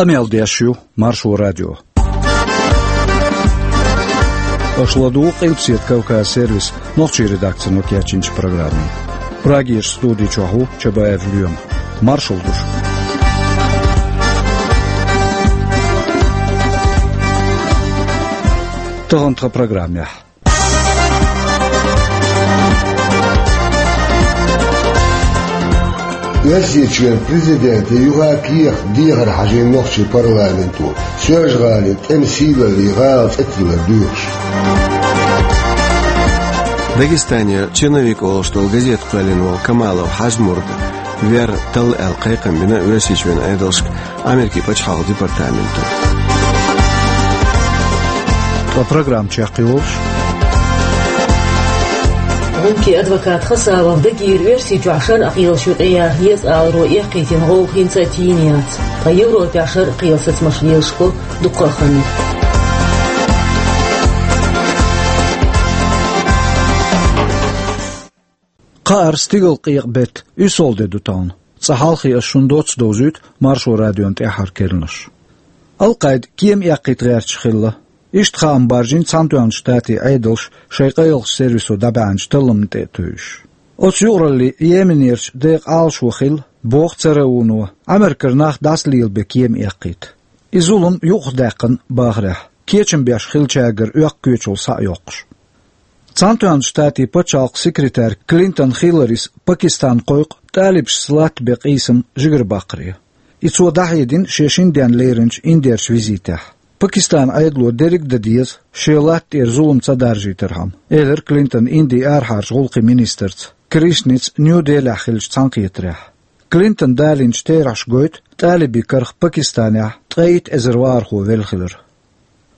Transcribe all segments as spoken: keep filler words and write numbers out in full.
Къамел деш ю Маршо радио. Аша ладугӀу Къилбаседа Кавказ сервисан нохчийн редакцино кечйинчу программе. Прагерчу студи чохь ву Чабаев Лоьма. Маршалла ду шуьга. Тахана тхан программехь. Оьрсийчоьнан президентан юха кехат дехар хьажийна нохчийн парламенто, Соьлжа-ГӀалин тӀеман сийлаллин гӀала цӀе тиллар доьхуш. Дагестанера «Черновик» олуш долу газета кхоьллина волу Камалов Хьажмурда вер талла аьлла кхайкхам бина Оьрсийчоьнан Ӏедалшка Америкин пачхьалкхан департаменто. Ткъа программа чекхйолуш. ГӀумкийн адвокат Хасавов Дагира Оьрсийчохь шарӀан кхелаш юкъе яха еза аларо эккхийтина гӀовгӀа хӀинца а тийна яц. Ткъа Европехь шарӀан кхелан сацамаш лелаш хилла дуккха а хан ю. Кхаара стигалкъекъа беттан уьссалгӀа де ду тахана. Цкъа хьалхе ас шуна доцца довзуьйту Маршо радион тӀаьххьара керланаш. Ал-Къаида кема эккхийта гӀерташ хилла. Иштта хаам баржийна Цхьаьнатоьхначу Штатийн Ӏедалша шайн къайлахчу сервисо дӀабаьхьначу талламна тӀе а тевжаш. Оцу юкъараллин Йеменерчу декъан Ӏалашо хилла, боху цара вуно, Ӏамеркара нах дӀасалелабен кема эккхийта. И зулам юкъахдаьккхина бахарехь, кечам беш хиллачаьргара оьккху коьчал схьа а йоккхуш. Цхьаьнатоьхначу Штатийн пачхьалкхан секретарь Клинтон Хилларис Пакистан кхойкху тӀалибашца латтабен къийсам жигарабаккхаре. И цо дӀахьедина шен шина денна леринчу Индерчу визитехь. Пакистанан Ӏедало дерриг а дан деза, шен латта тӀера зулам ца даржийтархьама, элира Клинтона Индин арахьарчу гӀуллакхийн министрца Кришнаца Нью-Делехь хиллачу цхьаьнакхетарехь. Клинтона далийнчу терахьаша гойту тӀалибийн карах Пакистанехь ткъе итт эзар вахархо велла хилар.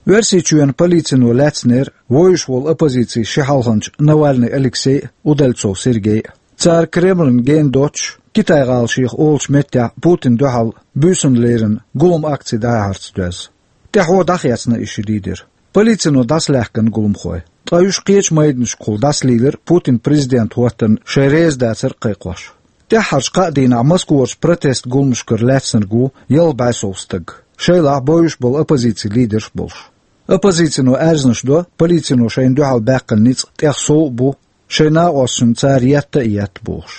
Оьрсийчоьнан полицино лаьцнера вовзуш волу оппозицин ши хьалханча Навальный Алексей а, Удальцов Сергей а. Цара Кремлна гена доццуш, Китай-гӀала шех олучу меттехь Путинна дуьхьал буьйсанна леррина гулам-акци дӀаяхьарца доьзна. ТӀаьхьо дӀахецна и ши лидер. Полицино дӀасалаьхкина гуламхой. Ткъа уьш кхечу майданашкахула дӀасалийлира Путин президент хӀоттарна шайн реза дацар а кхайкхош. ТӀаьххьарчу кхаа дийнахь Москварчу протест гуламашкара лаьцнарг ву ялх бӀе сов стаг, шайлахь бовзуш болу оппозицин лидерш а болуш. Оппозицино аьрзнаш до, полицино шайна дуьхьал баьккхина ницкъ тӀех сов а бу, шайн накъосташна цара етта а етта бохуш.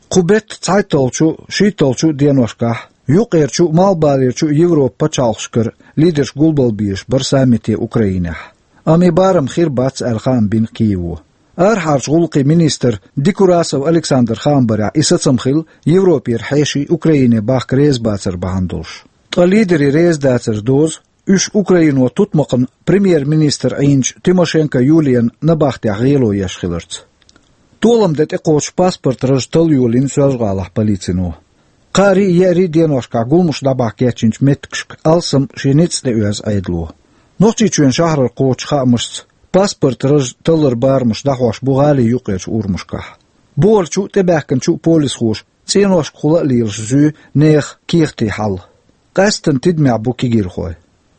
Кху беттан цхьайтталгӀачу, шийтталгӀачу деношкахь юккъерчу а, малхбалерчу а Европан пачхьалкхашкара лидерш гулбалбезаш бара саммите Украинехь. Амма и барам хир бац аьлла хаам бина Киево. Арахьарчу гӀуллакхийн министр Декурасов Александр хаам барехь, и сацам хилла Европера хьеший Украине бахка реза бацар бахьана долуш. Ткъа лидерийн реза дацаран доза уьш Украино тутмакхна премьер-министр Ӏийначу Тимошенко Юлиян набахтехь гӀело еш хиларца. Толам де тӀекхочуш паспорт раж талла йолийна Соьлжа-ГӀалахь полицино. Кхаарий а, еарий а деношкахь гуламаш дӀабахьа кечйинчу меттигашка алссам шен ницкъ тӀеоьзу Ӏедало. Нохчийчоьнан шахьарара кхочучу хаамашца, паспорт раж талларан барамаш дӀахьош бу гӀалин юккъерчу урамашкахь. Бухарчу а, тӀебаьхкинчу а полисхоша цӀеношкахула а лелаш зуьй нехан кехатийн хьал. Къаьсттина тидамехь бу кегийрхой.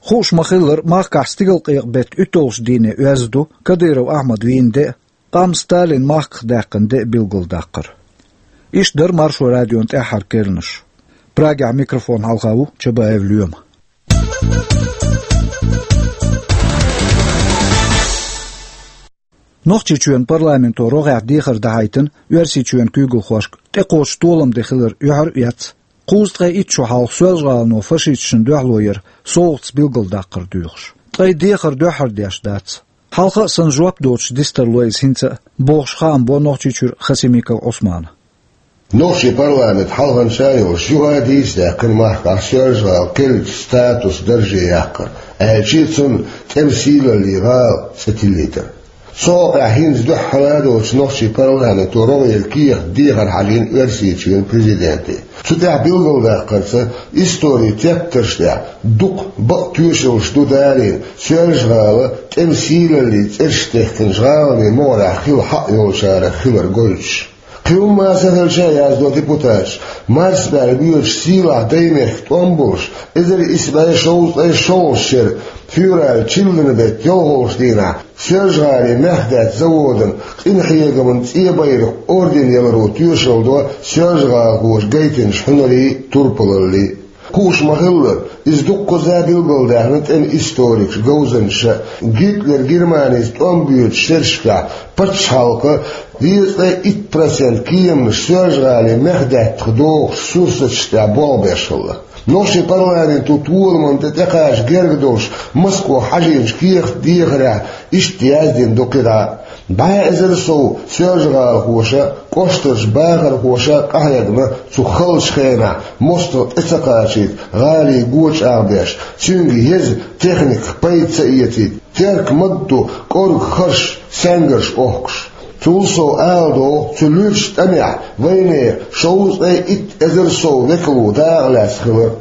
Хууш ма-хиллара, махкахь стигалкъекъа беттан уьтталгӀачу дийне оьзда ду Кадыров Ахьмад вийна де а, къам Сталинан махках даьккхина де а билгалдаккхар. Иштта дара Маршо радион тӀаьххьара керланаш. Прагехь микрофон хьалха ву Чабаев Лоьма. Нохчийчоьнан парламенто рогӀехь дехар дахьийтина Оьрсийчоьнан куьйгалхошка тӀекхочуш толам де хилар юьхьар а эцна, кхузткъе итт шо хьалха Соьлжа-ГӀалано фашисташна дуьхьало яр совгӀатца билгалдаккхар доьхуш. Ткъа и дехар дуьххьара деш дац. Хьалха а санна жоп доцуш дистарло иза хӀинца а, бохуш хаам бо Нохчийчуьра Хасимиков Ӏусмана. Нохчийн парламент хьалханча а йолуш юха а дийца даьккхина махкахь Соьлжа-ГӀала керлачу статусан дарже яккхар, аьлча а цунна тӀеман сийлаллин гӀала цӀе тиллийтар. Цу хьокъехь хӀинца дуьххьара а доцуш нохчийн парламенто рогӀера кехат дехар хьажийна Оьрсийчоьнан президенте. Цу тӀехь билгалдаккхарца, историн тептарш тӀехь дукха бакъ тоьшаллаш ду далийна, Соьлжа-ГӀала тӀеман сийлаллин цӀераш техкинчу гӀаланийн могӀарехь хилла хьакъ йолчарах хилар гойтуш. Кхин хӀумма а ца хилча а, яздо депутаташа, марсабаьлла боьдуш сийлахь Даймехкан тӀом болуш, эзар исс бӀе шовзткъе шолгӀачу шеран февралан чиллан беттан ялхолгӀачу дийнахь Соьлжа-ГӀалин мехкдаьтта заводан къинхьегаман цӀен байракх орден яларо тоьшалла до соьлжа-гӀалахоша гайтинчу хьуьнарийн, турпалаллин. Хууш ма-хиллара, иза дуккхаза билгалдаьхна тӀеман историкаша, говзанчаша, Гитлер Германеца тӀом боьдучу шерашкахь пачхьалкхан дезткъе итт процент кеманаш Соьлжа-ГӀалин мехдаьттах дохучу сурсаташ тӀехь болх беш хилла. Нохчийн парламенто толамна тӀе тӀекхача герга долуш Москвахь хьажийначу кехатан дехарехь иштта яздина ду кхидӀа а: бӀе эзар сов соьлжа-гӀалахоша а, кӀоштарчу бахархоша а къахьегна цу халачу хенахь, мостагӀа тӀе ца кхачийта, гӀалин го чӀагӀбеш, цуьнга еза техниках пайда ца эцийта, теркам ма-дду кӀорга харш, саьнгарш охкуш. Цул сов ала догӀу, цу луьрачу тӀамехь вайнехан шовзткъе итт эзар сов векало дакъа лаьцна хилар.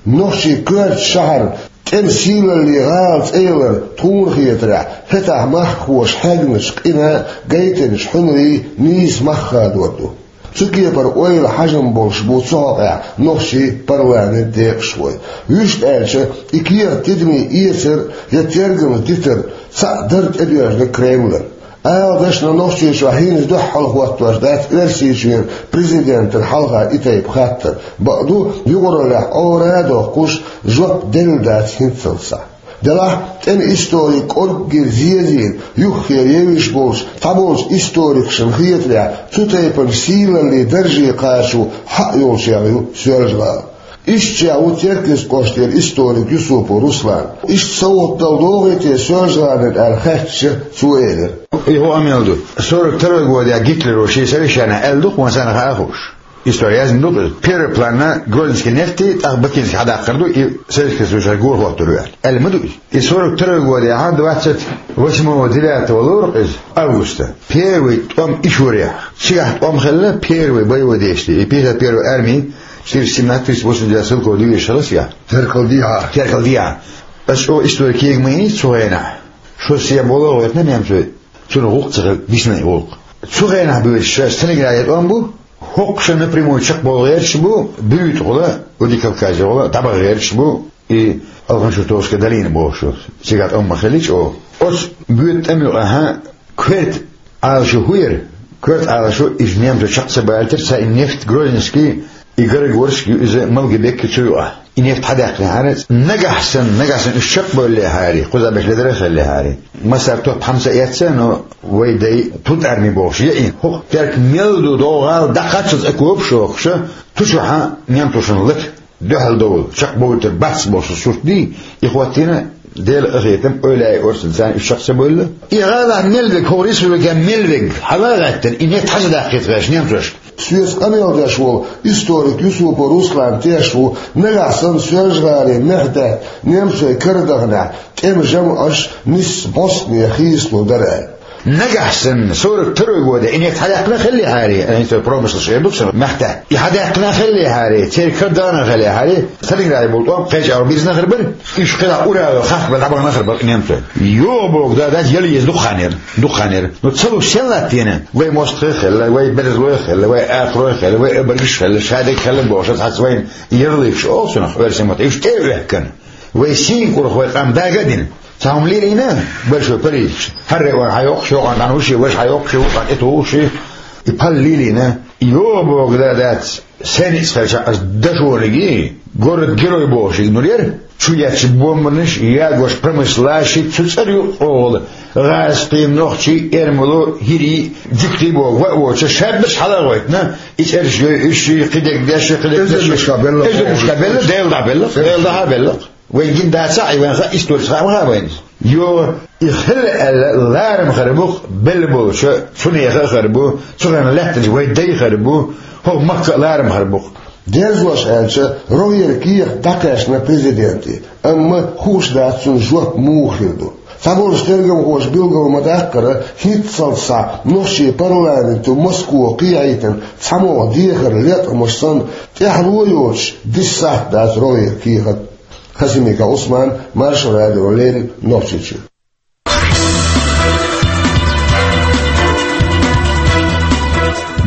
Нохчийн коьртачу шахьарна тӀеман сийлаллин гӀала цӀе ялар тхуна хетарехь, хӀетахь махкахоша хьегначу къинан, гайтинчу хьуьнарийн нийса мах хадор ду. Цу кепара ойла, хьажам болуш бу цу хьокъехь нохчийн парламентан декъашхой. Вуьшта аьлча, и кехат тидаме эцар я тергамза дитар цхьаъ дара тӀедоьжна Кремлан. Ала дашна, Нохчийчохь хӀинца дуьххьал хӀоттош дац Оьрсийчоьнан президентана хьалха и тайпа хаттар. Бакъду, юкъараллехь Ӏора а доккхуш, жоп делла дац хӀинццалц схьа. Делахь, тӀеман историк кӀорггера зезийна, юххе евзаш болчу цхьаболчу историкашна хетарехь, цу тайпана сийлаллин дарже кхачо хьаъ йолчех ю Соьлжа-ГӀала. Иштта чӀогӀа ву Теркйист кӀоштара историк Юсупов Руслан. Иштта совгӀат дала догӀий те Соьлжа-ГӀалина аьлла хаьттича, цо элира: И хӀун къамел ду? Сорок второй годехь Гитлеро шен совещанехь аьлла ду-кх, вайн санна хаа хууш. Истори яздина ду-кх иза. Первый планна Грозненский нефть, тӀаккха Бакинский хьадаккхар ду, и Советский Союзера гора хӀоттор ю аьлла. Аьлла ма ду иза? И сорок второй годехь, двадцать восьмого девятого лору-кх иза, августа. Первый тӀом Ичурехь. Цигахь тӀом хилла первый боевой действие. И пятьдесят первая арми, четыреста семнадцать, триста восемьдесят девять стрелковый дивизия хилла цигахь. Теркал дехьа. Теркал дехьа. Аса чӀогӀа истори кега ма йиний цу хенахь. Шо сема болу а гӀойтина немцой, цунах гӀуллакх ца хилла дисина и гӀуллакх. Цу хенахь буьйцуш Сталинграде тӀом бу, хӀокху шо напрямую чекхбовла гӀерташ бу, буьйцу гӀула, Владикавказе гӀула дӀабаха гӀерташ бу, и Алхан-Чуртовская долина бохуш ю. Цигахь тӀом ма хилла чӀогӀа. Оцу боьду тӀам юкъахь коьрта Ӏалашо хӀун яра? Коьрта Ӏалашо иза немцо чекх ца балийтира, цхьа и нефть Грозненский, и Горогорск ю иза, Малгобек ю цу юкъахь. И нефть хьадаьккхинехьара, нагахь санна, нагахь санна уьш чекхбевллехьара, кхузахь берш ледара а хиллехьара. Массара топ хьамса а эцна, но вай дай тутарми бохуш яийна. ХӀокху теркам мел ду, догӀу гӀала дӀакхаччалц а копаш а хӀокхуша, ту чохьа немцошна лата дуьхьал довла, чекхбовлийтар бац бохуш сурт дий, и хӀоттийна Делан къинхетам, ойла а орцан царна уьш чекх ца бевлла. И гӀалахь мел вег, хӀокху республикехь мел вег, хьала а гӀаьттина, и нефть хьажа даккхийта гӀерташ немцошка. Соьца къамел деш волу историк Юсупов Руслан тешаш ву, нагахь санна Соьлжа-ГӀалин мехдаьтта немцой карадаханехь, тӀеман жамӀаш нисса бӀостанехьа хийцалур дара аьлла. Нагахь санна, сорок второй годе, и нефть хьадаьккхина хиллехьара, а, промышлаш эр ду-кх шуна, мехдаьтта. И хьадаьккхина хиллехьара, церан карадахана хиллехьара, Сталинграде болу тӀом кхечу агӀор бирзина хир бара. Уьш кхидӀа Урале хахкабелла дӀабахана хир бара немцой. Йо, боху, да, дац, яла еза дукха хан яра, дукха хан яра. Ну, ца луш сен латтийна? Вай мостагӀий а хилла, вай берзалой а хилла, вай акхарой а хилла, вай обаргаш а хилла, шадерг хилла бохуш, хьаца вайн ярлыкаш олу цунах, оьрсийн маттахь, уьш тӀе а вехкана. Вай сийна кӀурах вай къам дага а дина. Цхьа хӀума лелийна, большой париж. ХӀара район хьайоккхуш, йокъан дӀануш, важа хьайоккхуш, вукъан тӀетухуш, и пал лелийна. Йо, боху, да, дац. Сен ницкъ хилча, ас дашониг, город-герой бохуш, иза нур яра. Чу етташ бомбанаш, ягош промыслаш, цу цӀера юкъа гӀазкхий, нохчий, эрмало, хӀирий, жуьгтий боху, ваъ воцуш, шаьббаш хьала а гӀойтина, и цӀераш йой уьш, кхидерг деш, кхидерг деш. Эзарнашкахь белла. Эзарнашкахь белла, Дела дӀа белла, Дела дӀа белла. Вайн гина дацахь, и вайн хаьа, историс хаьа ма хаьа вайна иза. Йо, и хилла аьлла, ларам хир бу-кх белла болчу, цу нехан а хир бу, цу хенахь лаьттинчу вайн дай хир бу, хӀокху махка а ларам хир бу-кх. Дерзош аьлча, рогӀера кехат дӀакхаьчна президенте, амма хууш дац цуьнан жоп муха хир ду. Цхьаболчу тергамхоша билгал ма-даккхара, хӀинццалц схьа нохчийн парламенто Москва кхехьийтина цхьамогӀа дехар леткъамаш санна, тӀаьхьало йоцуш, дисса сахьт дац рогӀера кехат. Хасимиков Ӏусман, Маршо радиона леррина, Нохчийчоь.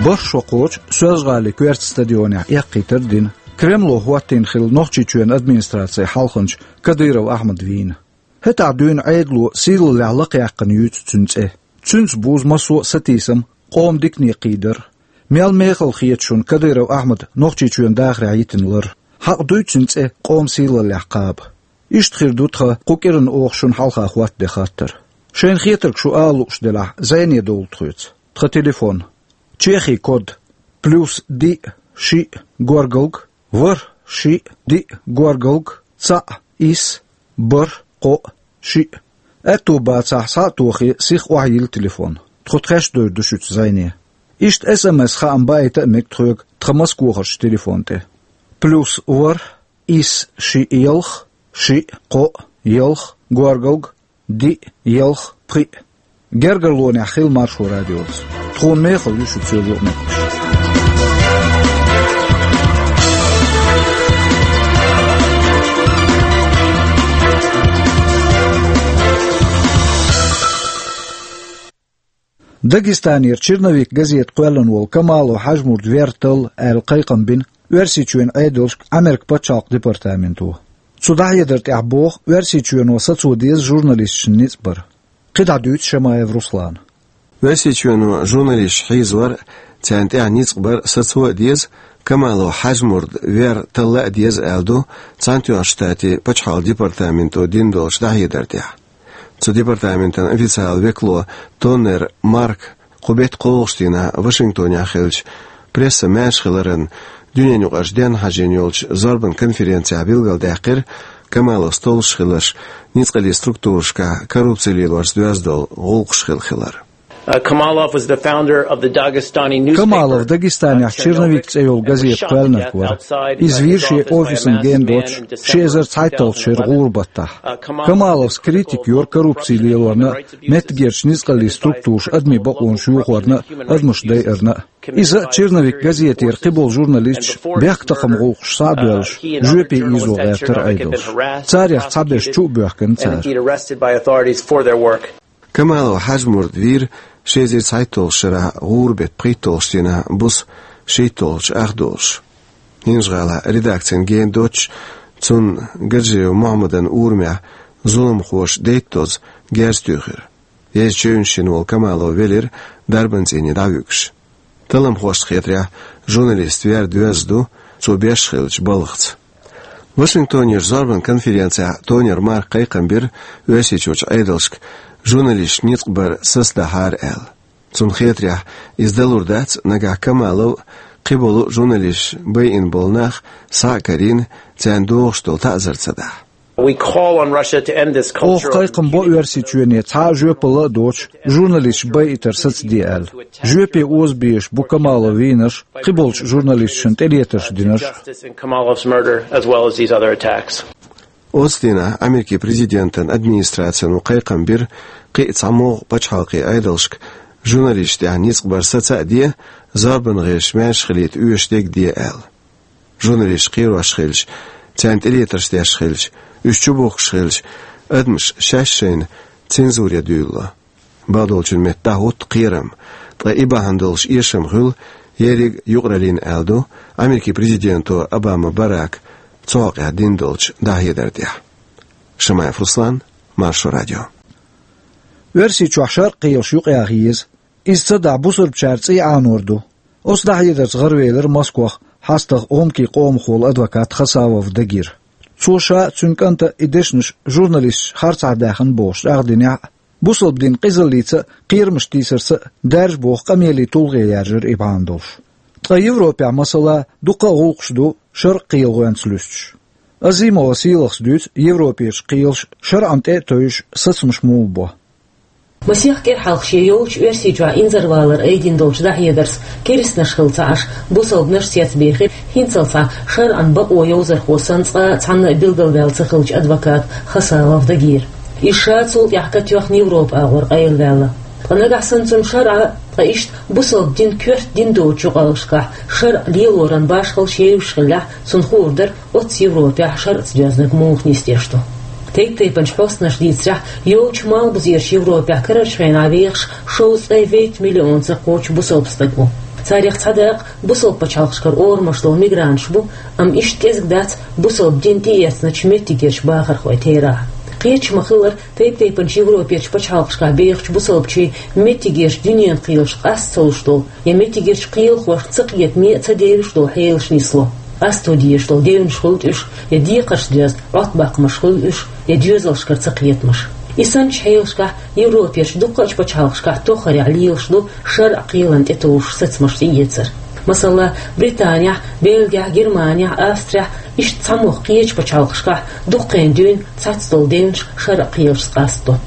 БархӀ шо кхочу Соьлжа-ГӀалин коьртачу стадионехь эккхийтар а дина, Кремло хӀоттийна хилла Нохчийчоьнан администрацин хьалханча Кадыров Ахьмад вийна. ХӀетахь дуьйна Ӏедало сийлаллехь лакхаяьккхина юьйцу цуьнан цӀе. Цуьнца бузу массо а сатийсам, къоман дикане кхийдар. Мел мехала хета шуна Кадыров Ахьмадан Нохчийчоьнан дахарехь йитина лар? Хьакъ дуй цуьнан цӀе къоман сийлаллехь кхаба. Иштта хир ду тхан кху кӀиранна оха шуна хьалха хӀоттаде хаттар. Шайна хетарг шу ала лууш делахь, зӀене довла тхоьца. Тхан телефон. Чехин код: плюс диъ, шиъ, горгалг, ворхӀ, шиъ, диъ, горгалг, цхьаъ, исс, бархӀ, кхоъ, шиъ. Аьтто бацахь, схьа а тохий, сиха охьайилла телефон. Тхо тхаьш а довр ду шуьца зӀене. Иштта СМС хаам баийта а мега тхоьга тхан Москвахарчу телефон тӀе: плюс ворхӀ, исс, шиъ, ялх, шиъ, кхоъ, ялх, горгалг, диъ, ялх, пхиъ. Гергарлонехь хила Маршо радиоца. Тхуна мехала ю шуьца юкъаметтигаш. Дагестанера «Черновик» газета кхоьллина волу Камалов Хьажмурд вер талла аьлла кхайкхам бина Оьрсийчоьнан Ӏедалшка Ӏамеркан пачхьалкхан департаменто. Цу дӀахьедар тӀехь боху, Оьрсийчоьно сацо деза журналисташна ницкъ бар. КхидӀа дуьйцу Шамаев Руслана. Оьрсийчоьно журналисташ хьийзор а, царна тӀехь ницкъ бар сацо а деза, Камалов Хьажмурд вер талла а деза аьлла ду Цхьаьнатоьхначу Штатийн пачхьалкхан департаменто дина долчу дӀахьедар тӀехь. Цу департаментан официалан векало Тоннер Марка кху беттан кхоалгӀачу дийнахь Вашингтонехь хиллачу прессан маьршахиларан дуьненаюкъарчу денна хьажийна йолчу зорбан конференцехь билгалдаьккхира Камаловс толлуш хилларш ницкъаллин структурашкахь коррупци лелорца доьзна долу гӀуллакхаш хилла хилар. Uh, Kamalov was the founder of the Dagestani newspaper. Камалов Дагестанехь «Черновик» цӀе йолу газета кхоьллинарг вара. Иза вийра шен офисан гена доцуш ши эзар цхьайтталгӀачу шеран гӀуран баттахь. Камаловс критика йора коррупци лелорна а, меттигерчу ницкъаллин структураша адамийн бакъонаш йохорна а, адамаш дайарна а. Иза а, «Черновик» газетера кхиболу журналисташ бехктакхаман гӀуллакхаш схьа а доьллуш, жоьпе ийзо гӀертара Ӏедалш. Царех цхьаберш чу а боьхкина цара. Камалов Хьажмурд вийра ши эзар цхьайтталгӀачу шарахь гӀуран беттан пхийтталгӀачу дийнахь буса шийтталгӀачу ах долуш. ХӀинжа-ГӀалахь редакцин гена доцуш, цунна Гаджиев Мухьаммадан урамехь зуламхоша дейттазза герз туьйхира. Еза чевнаш йина волу Камалов велира дарбан цӀийне дӀавуьгуш. Талламхошна хетарехь, журналистан вер доьзна ду цо беш хиллачу балхаца. Вашингтонерчу зорбан конференцехь Тоннер Марка кхайкхам бира Оьрсийчуьрчу Ӏедалшка журналисташна ницкъ бар сацадахьара аьлла. Цунна хетарехь, иза далур дац, нагахь Камалов а, кхиболу журналисташ байина болу нах схьа а карийна, царна догӀуш долу таӀзар ца дахь. We call on Russia to end this culture of impunity. Оха кхайкхам бо Оьрсийчоьне цхьа а жоьпалла а доцуш, журналисташ байийтар сацаде аьлла. Жоьпе оза безаш бу Камалов вийнарш, кхиболчу журналисташна тӀелетарш динарш. Justice in Kamalov's murder, as well as these other attacks. Оцу дийнахь Америкин президентан администрацино кхайкхам бира кхин а цхьамогӀа пачхьалкхийн Ӏедалшка журналисташна тӀехь ницкъ бар саца а де, зорбан гӀирсаш маьрша хилийта оьшуш дерг де аьлла. Журналисташ кхерош хилча, царна тӀелетарш деш хилча, уьш чубухкуш хилча, адамаш шаьш-шайна цензуре дуьйлало. Бакъдолчун метта дӀахӀутту кхерам, ткъа и бахьана долуш эшам хуьлу ерриг а юкъараллина, аьлла ду Америкин президенто Обама Барака цу хьокъехь дина долчу дӀахьедар тӀехь. Шамаев Руслан, Маршо радио. Оьрсийчохь шарӀан кхелаш юкъаяха еза. Иза ца дахь, бусалбачара цӀий Ӏанор ду. Оцу дӀахьедарца гӀаравелира Москвахь хьастагӀа гӀумкийн къомах волу адвокат Хасавов Дагир. Цо ша а, цуьнан кӀанта а и дешнаш журналисташа харцахьа даьхна бохуш чӀагӀдинехь а, бусалба дин къизаллица а, кхерамаш тийсарца а даьржа боху къамелийн тулгӀе яьржира и бахьана долуш. Ткъа Европехь, масала, дуккха а гӀуллакхаш ду шарӀан кхелахойнца луьстуш. Азимова Сийлахас дуьйцу Европерчу кхелаша шарӀана тӀе а тевжаш сацамаш муха бо. Масех кӀира хьалха шен йолчу Оьрсийчохь инзарвалар айдина долчу дӀахьедарца керстанаш хилла ца Ӏаш, бусалбанаш а цецбехира хӀинццалц схьа шарӀан бакъо йовзархо санна цкъа а цхьанна а билгалваьлла ца хиллачу адвоката Хасавов Дагира. Иза ша цул тӀаьхьа катоьхна Европа агӀор къайлаваьлла. Ткъа нагахь санна цунна шарӀа, ткъа иштта бусалба дин коьрта дин доцучу юкъараллашкахь шарӀ лелоран башхалла шен йолуш хиллехь, цунна хуур дара, оццу Европехь шарӀаца доьзнарг муха нисдеш ду. Тайп-тайпанчу хьостанаша дийцарехь, йолчу Малхбузерчу Европехь карарчу хенахь вехаш шовзткъе вейтта миллионца кхочу бусалба стаг ву. Царех цхьа дакъа бусалба пачхьалкхашкара орамаш долу мигранташ бу, амма иштта кӀезиг дац бусалба дин тӀеэцначу меттигерчу бахархойн терахь. Кхеташ ма-хиллара, тайп-тайпанчу Европерчу пачхьалкхашкахь бехачу бусалбачийн меттигерчу дуьненан кхелашка къаста ца луш долу я меттигерчу кхелахошна ца кхетаме а, ца девзаш долу хьелаш нисло. Къасто дезаш долу девнаш хуьлда уьш, я декхарш доьзна Ӏоттабаккхамаш хуьлда уьш, я доьзалшкара цакхетамаш. И санначу хьелашкахь Европерчу дуккха а пачхьалкхашкахь тоххарехь лелаш ду шарӀан кхелана тӀетовжуш сацамаш тӀеэцар. Масала, Британехь, Бельгехь, Германехь, Австрехь, иштта цхьамогӀа кхечу пачхьалкхашкахь дуккха а дуьйна цхьацца долу девнаш шарӀан кхелашца къастадо.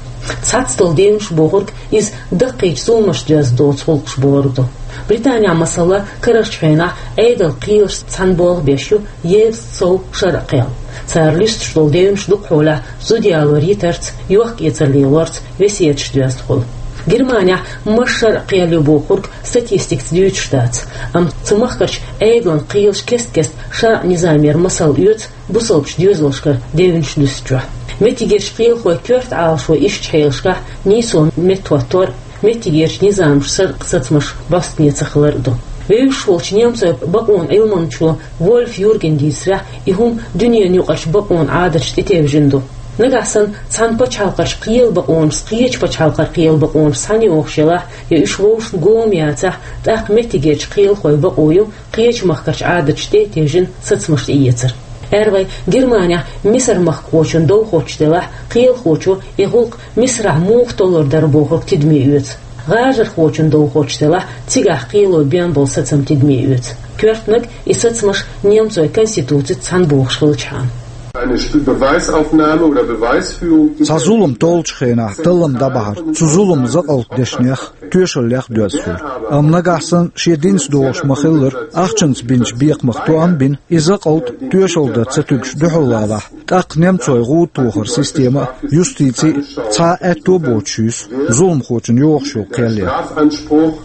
Цхьацца долу девнаш бохург иза даккхийчу зуламаш доьзна доцу гӀуллакхаш бохург ду. Британехь, масала, карарчу хенахь Ӏедалан кхелашца цхьаьна болх беш ю езткъа сов шарӀан кхел. Цара луьстуш долу девнаш дукхахьолахь зуда ялор йитарца, йохк-эцар лелорца, весеташ доьзна хуьлу. Германехь массо шарӀан кхел ю бохург статистикаца дуьйцуш дац, амма цу махкарчу Ӏедалан кхелаш кест-кеста шарӀан низамера масал оьцу бусалбачу доьзалшкара девнаш луьстучохь. Меттигерчу кхелахойн коьрта Ӏалашо иштачу хьелашкахь нийсо меттахӀоттор, меттигерчу низамаша шарӀан сацамаш бӀостанехьа ца хилар а ду. Вевзаш волчу немцойн бакъонан Ӏилманчо Вольф Юргена дийцарехь, и хӀума дуьненан юкъарчу бакъонан Ӏадаташна тӀетевжина ду. Нагахь санна цхьана пачхьалкхарчу кхелан бакъонашца кхечу пачхьалкхерчу кхелан бакъонаш цхьаьна йогӀуш елахь, я уьш вовшашна гома яцахь, тӀаккха меттигерчу кхелахойн бакъо ю кхечу махкарчу Ӏадаташна тӀе а тевжина сацамаш тӀеэцар. Ара вай, Германехь мисар-махкахочун дов хоттуш делахь, кхелахочо и гӀуллакх Мисарахь муха толлур дара бохург тидаме оьцу. ГӀажархочун дов хоттуш делахь, цигахь кхело бен болу сацам тидаме оьцу. Коьртаниг, и сацамаш немцойн конституцица цхьаьна богӀуш хилчахьана. Eine Stu-, Beweisaufnahme oder Beweisführung. Цхьа зулам толлучу хенахь таллам дӀабахьар цу зуламан закъалт дешнех, тоьшаллех доьзна хуьлу. Амма нагахь санна шен динца догӀуш ма-хиллара, ахчанца бинчу бекхамах тоам бина, и закъалт тоьшалла дан ца туьгуш дуьхьал валахь, тӀаккха немцойн гӀуда тохаран система а, юстици а цхьа а аьтто боцуш юьсу зуламхочун йогӀуш йолу кхел ян. Strafanspruch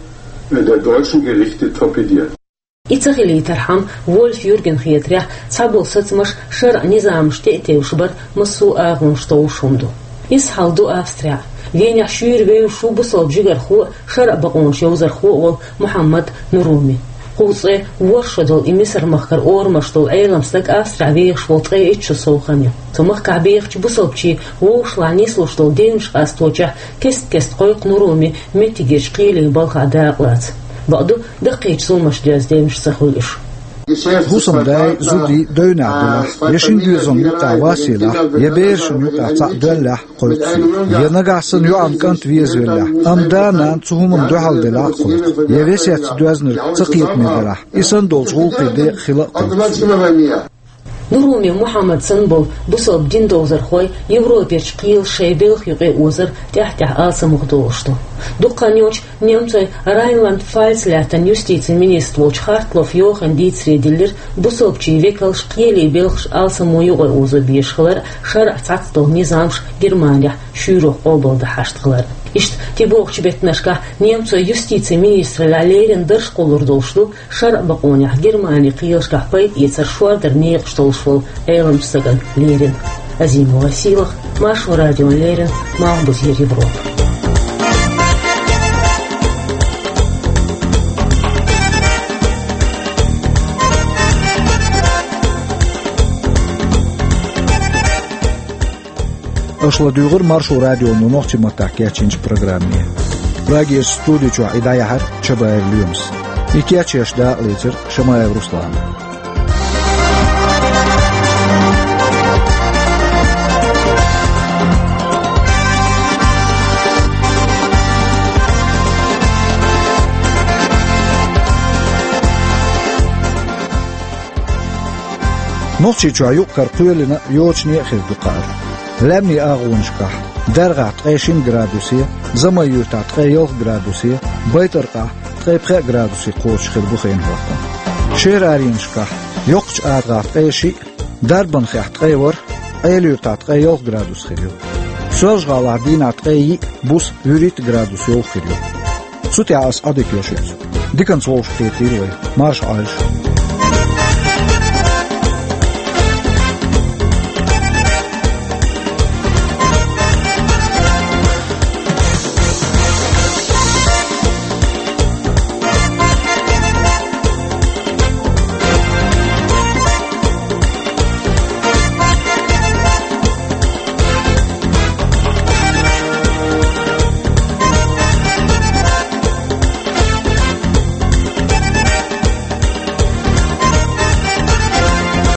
der deutschen Gerichte torpediert. И ца хилийтархьама, Вольф Юргена хетарехь, цхьаболу сацамаш шарӀан низамашна тӀе а тевжаш бар массо а агӀонаш товш хӀума ду. Изза хьал ду Австрехь. Венехь шуьйра вевзаш ву бусалба жигархо а, шарӀан бакъонаш йовзархо а волу Мухьаммад Нуруми. Кхузткъе ворхӀ шо долу и Мисар-махкара орамаш долу Ӏелам стаг Австрехь вехаш волу ткъе итт шо сов хан ю. Цу махкахь бехачу бусалбачийн вовшашлахь нислуш долу девнаш къасточохь кест-кеста кхойкху Нуруми меттигерчу кхеле балхахь дакъалаца. Бакъду, даккхийчу зуламаш доьзна девнаш ца хуьлу уьш. ХӀусамдайн, зудийн девнехь делахь, я шина доьзална юккъехь вас елахь, я берашна юккъехь цхьаъ доьллехь, кхойкху цо. Я нагахь санна йоӀана кӀант везавеллехь, амма да-нана цу хӀуманна дуьхьал делахь а, кхойкху. Я весетца доьзнарг цакхетаме делахь, и санна долчу гӀуллакхийн декъа хила а кхойкху цо. Нуруми Мухьаммад санна болу бусалба дин довзархой Европерчу кхелаша шайн белхан юкъа озар тӀаьхь-тӀаьхьа алсамох долуш ду. Дукха хан йоццуш немцойн Райнланд-Пфальц лаьттан юстицин министр волчу Хартлофф Йохана дийцаре диллира бусалбачийн векалш кхеле белхаш алсамо юкъа озо безаш хилар, шарӀан цхьацца долу низамаш Германехь шуьйрах къобалдан хьашт хилар. Иштта, тӀебогӀучу беттанашкахь немцойн юстицин министраллехь леррина дарж кхуллур долуш ду шарӀан бакъонехь Германин кхелашкахь пайда эцар шордаран некъаш долуш волу Ӏелам стагана леррина. Азимова Сийлаха, Маршо радиона леррина, Малхбузера Европа. Аша ладуьйгӀира Маршо радионо нохчийн маттахь кечйинчу программе. Прагерчу студи чохь и дӀаяьхьира Чабаев Лоьмас. И кечъеш дакъалецира Шамаев Руслана. Нохчийчохь юкъ-кара кхоьлина йочане а хир ду кхаара. Лаьмнийн агӀонашкахь: Даргахь ткъе шина градусе, Замай-Юьртахь ткъе ялх градусе, Байтаркъахь ткъе пхеа градусе кхочуш хир бу хенан хӀоттам. Шераренашкахь: Йоккхачу АтагӀахь ткъе шиъ, Дарбанхехь ткъе ворхӀ, Ӏела-Юьртахь ткъе ялх градус хир ю. Соьлжа-ГӀалахь дийнахь ткъе йиъ, буса вуьрхӀитта градус йовха хир ю. Цу тӀехь ас Ӏадика йо шуьца. Диканца вовшахкхетийла вай. Марша Ӏойла шу.